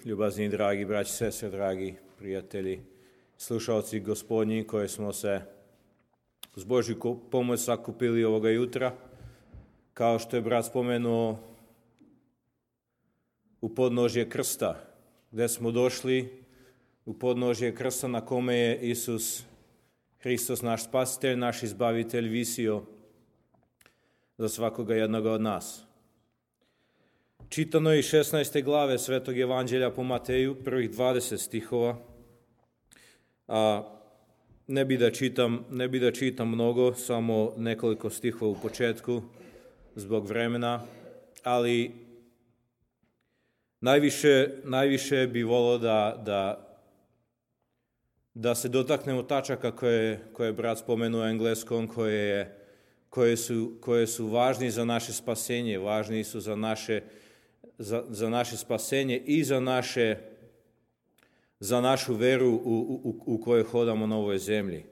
Ljubazni dragi braći, sestre, dragi prijatelji, slušalci Gospodnji koji smo se uz Božju pomoć sakupili ovoga jutra, kao što je brat spomenuo, u podnožje krsta, gdje smo došli u podnožje krsta na kome je Isus Hristos, naš spasitelj, naš izbavitelj, visio za svakoga jednoga od nas. Čitano je iz 16. glave Svetog Evanđelja po Mateju, prvih 20 stihova. Ne bi da čitam mnogo, samo nekoliko stihova u početku zbog vremena, ali najviše bi volio da se dotaknemo tačaka koje je brat spomenuo u engleskom, koje su važni za naše spasenje, važni su za naše spasenje i za našu veru u kojoj hodamo na ovoj zemlji.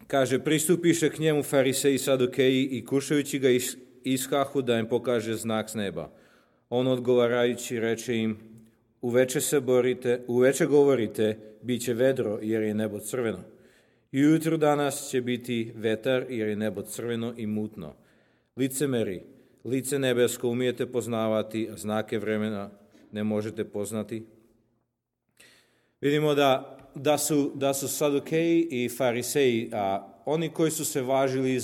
Kaže, pristupiše k njemu fariseji i sadukeji i kušajući ga iskahu da im pokaže znak s neba. On odgovarajući reče im, uveče govorite, bit će vedro jer je nebo crveno. I ujutro danas će biti vetar jer je nebo crveno i mutno. Licemeri, lice nebesko umijete poznavati, a znake vremena ne možete poznati. Vidimo da su sadukeji i fariseji, oni koji su se važili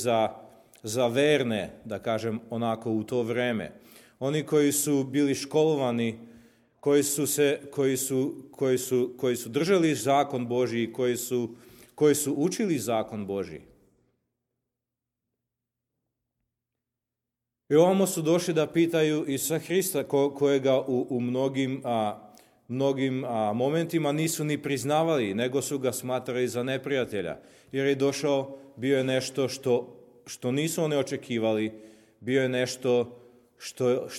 za verne, da kažem onako u to vreme, oni koji su bili školovani, koji su držali zakon Božji, koji su učili zakon Božji. I ovamo su došli da pitaju Isusa Hrista, kojega u mnogim momentima nisu ni priznavali, nego su ga smatrali za neprijatelja. Jer je došao, bio je nešto što nisu oni očekivali, bio je nešto što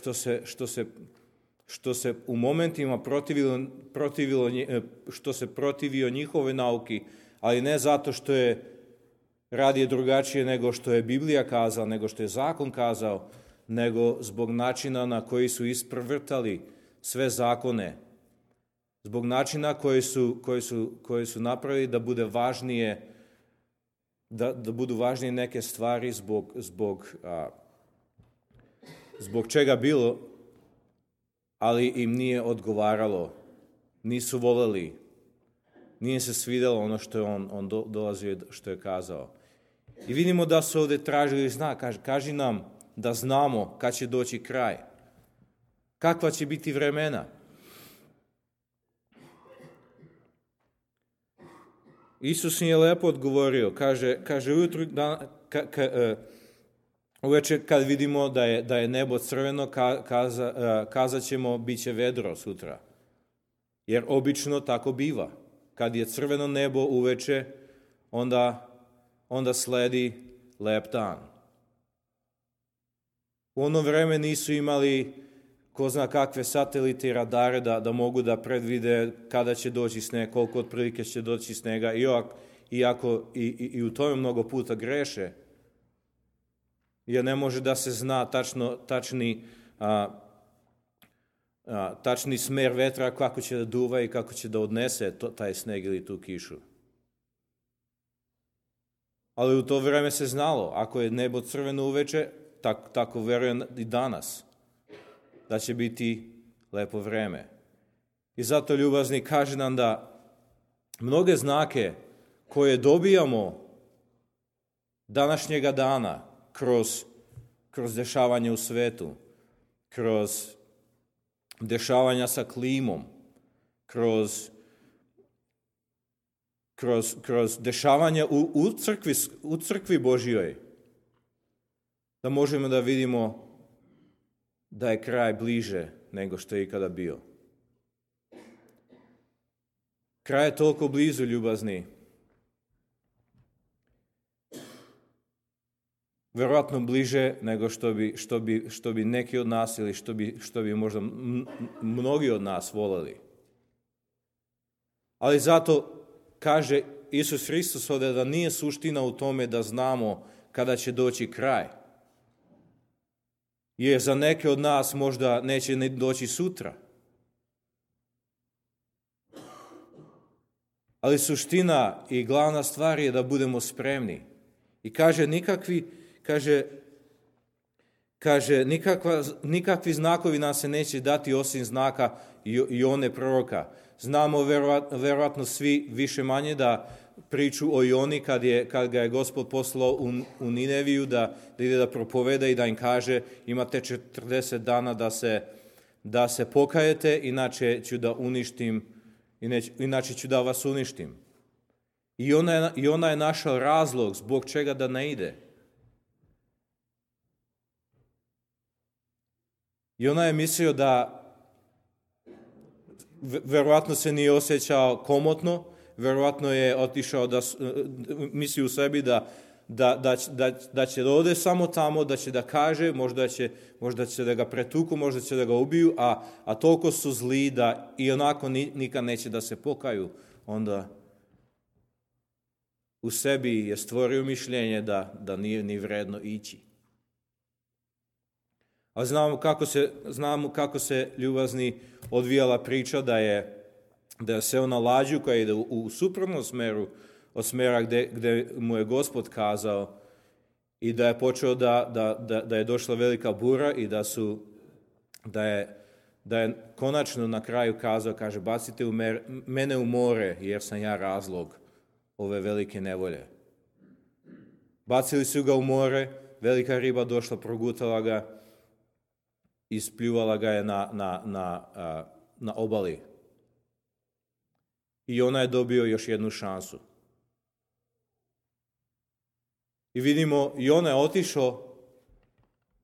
se u momentima protivio njihove nauki, ali ne zato što je radio drugačije nego što je Biblija kazala, nego što je zakon kazao, nego zbog načina na koji su isprvrtali sve zakone, zbog načina koji su napravili da bude važnije, da budu važnije neke stvari zbog čega bilo, ali im nije odgovaralo, nisu voljeli, nije se svidjelo ono što je on dolazio, što je kazao. I vidimo da su ovdje tražili znak, kaži nam da znamo kad će doći kraj, kakva će biti vremena. Isus im je lepo odgovorio, kaže ujutru, uveče kad vidimo da je nebo crveno, kazat ćemo bit će vedro sutra. Jer obično tako biva. Kad je crveno nebo uveče, onda sledi lep dan. U ono vreme nisu imali ko zna kakve satelite i radare da mogu da predvide kada će doći sneg, koliko otprilike će doći snega, iako i u tome mnogo puta greše. Jer ne može da se zna tačni smer vetra, kako će da duva i kako će da odnese taj sneg ili tu kišu. Ali u to vreme se znalo, ako je nebo crveno uveče, tako verujem i danas, da će biti lepo vreme. I zato, ljubazni, kaže nam da mnoge znake koje dobijamo današnjega dana kroz dešavanje u svetu, kroz dešavanja sa klimom, kroz dešavanja u crkvi Božjoj, da možemo da vidimo da je kraj bliže nego što je ikada bio. Kraj je toliko blizu, ljubazni. Vjerojatno bliže nego što bi neki od nas ili što bi možda mnogi od nas voljeli. Ali zato kaže Isus Hristos ovdje da nije suština u tome da znamo kada će doći kraj. Jer za neke od nas možda neće ni doći sutra. Ali suština i glavna stvar je da budemo spremni. I kaže nikakvi znakovi nam se neće dati osim znaka Jone proroka. Znamo verovatno svi više manje da priču o Joni kad ga je Gospod poslao u Nineviju da ide da propoveda i da im kaže imate 40 dana da se pokajete, inače ću da vas uništim. I ona je našao razlog zbog čega da ne ide. I ona je mislio da verovatno se nije osjećao komotno, verovatno je otišao da misli u sebi da će da ode samo tamo, da će da kaže, možda će da ga pretuku, možda će da ga ubiju, a toliko su zli da i onako nikad neće da se pokaju. Onda u sebi je stvorio mišljenje da nije ni vredno ići. A znamo kako se ljubazni odvijala priča da je seo na lađu koja ide u suprotnom smeru od smera gde mu je Gospod kazao i da je počeo da je došla velika bura i da je konačno na kraju kazao, kaže, bacite mene u more jer sam ja razlog ove velike nevolje. Bacili su ga u more, velika riba došla, progutala ga, ispljuvala ga je na obali. I ona je dobio još jednu šansu. I vidimo, i ona je otišao,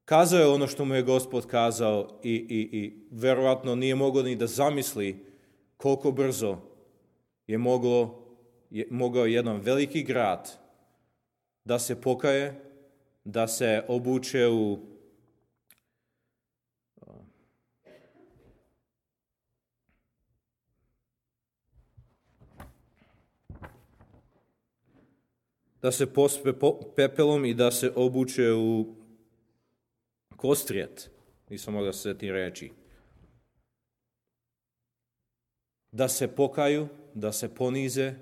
kazao je ono što mu je Gospod kazao i verovatno nije mogao ni da zamisli koliko brzo je mogao jedan veliki grad da se pokaje, da se obuče da se pospe pepelom i da se obuče u kostrijet. Nisam mogao se sjetiti reći. Da se pokaju, da se ponize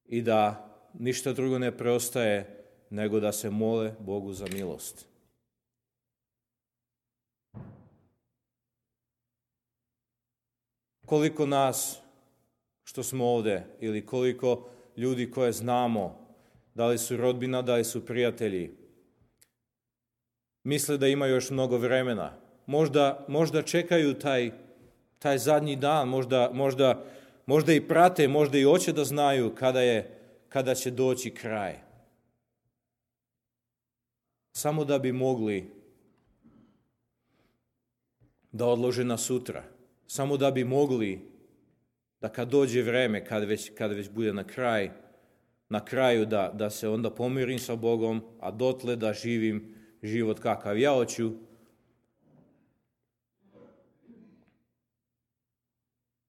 i da ništa drugo ne preostaje nego da se mole Bogu za milost. Koliko nas što smo ovdje ili koliko ljudi koje znamo, da li su rodbina, da li su prijatelji, misle da imaju još mnogo vremena. Možda čekaju taj zadnji dan, možda i prate, možda i hoće da znaju kada će doći kraj. Samo da bi mogli da odlože na sutra. Samo da bi mogli da kad dođe vreme, kad već bude na kraju da se onda pomirim sa Bogom, a dotle da živim život kakav ja hoću.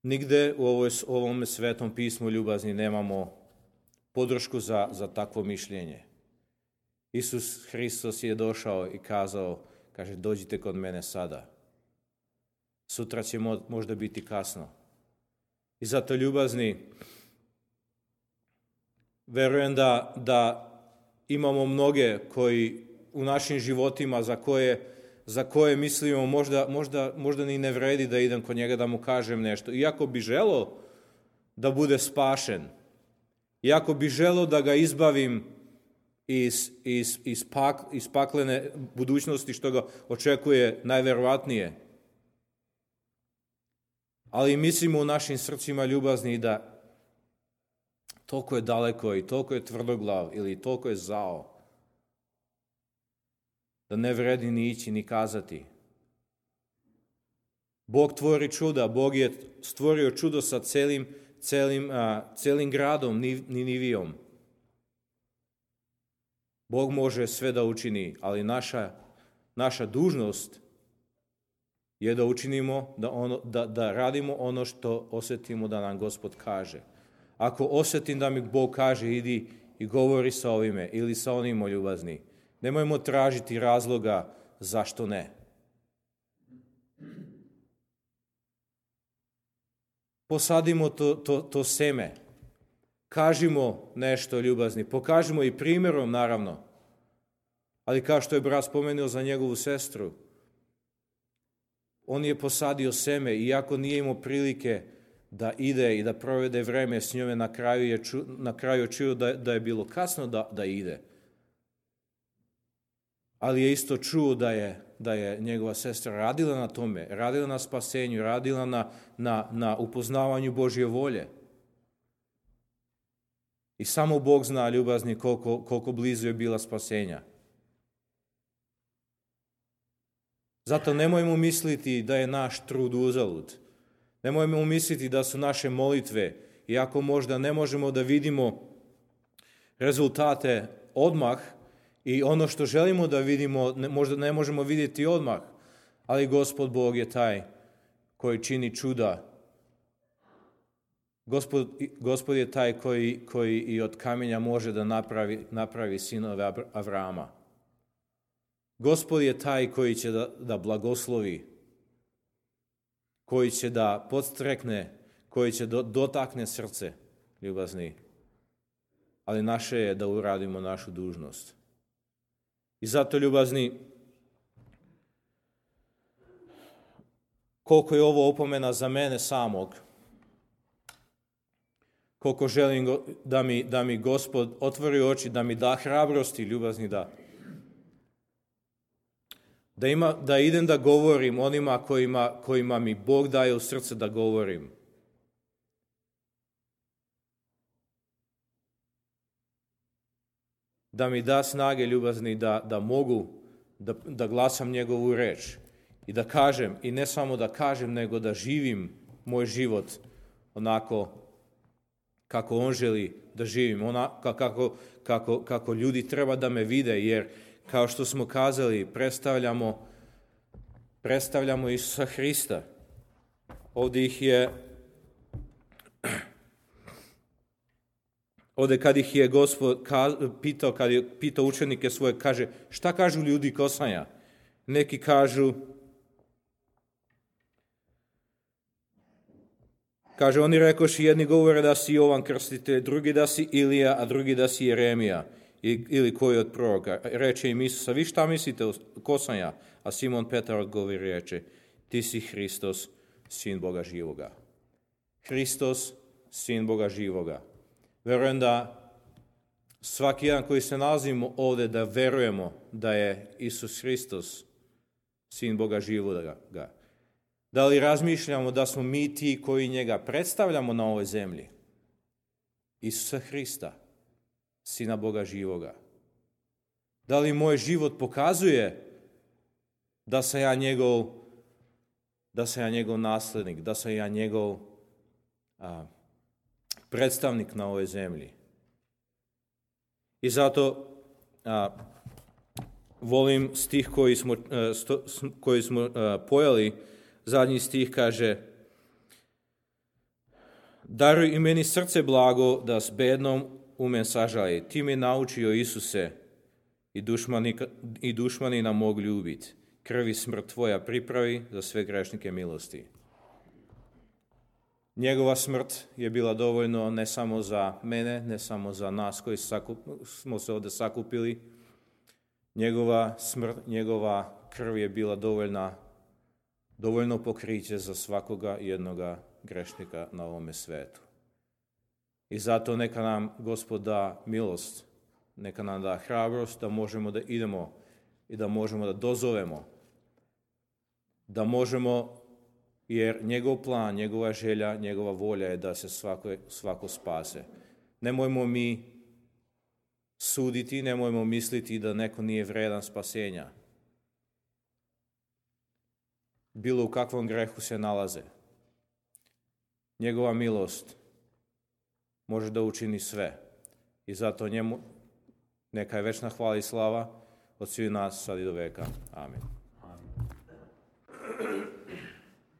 Nigde u ovom svetom pismu ljubazni nemamo podršku za takvo mišljenje. Isus Hristos je došao i kazao, kaže, dođite kod mene sada. Sutra će možda biti kasno. I zato, ljubazni, verujem da imamo mnoge koji u našim životima za koje mislimo možda ni ne vredi da idem kod njega da mu kažem nešto. Iako bi želeo da bude spašen, iako bi želeo da ga izbavim iz paklene budućnosti što ga očekuje najverovatnije. Ali mislimo u našim srcima, ljubazni, da toliko je daleko i toliko je tvrdoglav ili toliko je zao da ne vredi ni ići ni kazati. Bog tvori čuda, Bog je stvorio čudo sa celim gradom, Ninivijom. Bog može sve da učini, ali naša dužnost je da učinimo, da radimo ono što osjetimo da nam Gospod kaže. Ako osjetim da mi Bog kaže, idi i govori sa ovime ili sa onima, ljubazni, nemojmo tražiti razloga zašto ne? Posadimo to seme. Kažimo nešto ljubazni. Pokažimo i primjerom, naravno. Ali kao što je brat spomenuo za njegovu sestru, on je posadio seme, iako nije imao prilike da ide i da provede vreme s njome, na kraju je čuo da je bilo kasno da ide. Ali je isto čuo da je njegova sestra radila na tome, radila na spasenju, radila na upoznavanju Božje volje. I samo Bog zna, ljubazni, koliko blizu je bila spasenja. Zato nemojmo misliti da je naš trud uzalud. Nemojmo misliti da su naše molitve, iako možda ne možemo da vidimo rezultate odmah i ono što želimo da vidimo, možda ne možemo vidjeti odmah, ali Gospod Bog je taj koji čini čuda. Gospod je taj koji i od kamenja može da napravi sinove Avrama. Gospod je taj koji će da blagoslovi, koji će da podstrekne, koji će dotakne srce, ljubazni. Ali naše je da uradimo našu dužnost. I zato, ljubazni, koliko je ovo opomena za mene samog, koliko želim da mi Gospod otvori oči, da mi da hrabrosti, ljubazni, da idem da govorim onima kojima mi Bog daje u srce da govorim. Da mi da snage, ljubazni, da mogu da glasam njegovu reč i da kažem, i ne samo da kažem, nego da živim moj život onako kako on želi da živim, kako ljudi treba da me vide, jer kao što smo kazali, predstavljamo Isusa Hrista. Ovdje kad ih je Gospod pitao, kad je pitao učenike svoje, kaže, šta kažu ljudi kosanja? Neki kažu, oni rekoši, jedni govore da si Jovan Krstitelj, drugi da si Ilija, a drugi da si Jeremija ili koji od proroka. Reče im Isusa, vi šta mislite kosanja? A Simon Petar odgovori reče, ti si Hristos, sin Boga živoga. Hristos, sin Boga živoga. Verujem da svaki jedan koji se nalazimo ovdje, da verujemo da je Isus Hristos, sin Boga živoga. Da li razmišljamo da smo mi ti koji njega predstavljamo na ovoj zemlji? Isusa Hrista, sina Boga živoga. Da li moj život pokazuje da sam ja njegov naslednik, da sam ja njegov predstavnik na ovoj zemlji? I zato volim stih koji smo pojeli. Zadnji stih kaže, daruj i meni srce blago da s bednom umen sažali. Ti me naučio, Isuse, i dušmani nam mogu ljubiti. Krvi smrt tvoja pripravi za sve grešnike milosti. Njegova smrt je bila dovoljno ne samo za mene, ne samo za nas koji smo se ovdje sakupili. Njegova smrt, njegova krv je bila dovoljno pokriće za svakoga jednoga grešnika na ovome svetu. I zato neka nam Gospod da milost, neka nam da hrabrost da možemo da idemo i da možemo da dozovemo, da možemo, jer njegov plan, njegova želja, njegova volja je da se svako spase. Nemojmo mi suditi, nemojmo misliti da neko nije vredan spasenja. Bilo u kakvom grehu se nalaze. Njegova milost može da učini sve. I zato njemu neka je večna hvala i slava od svih nas sad i do veka. Amen.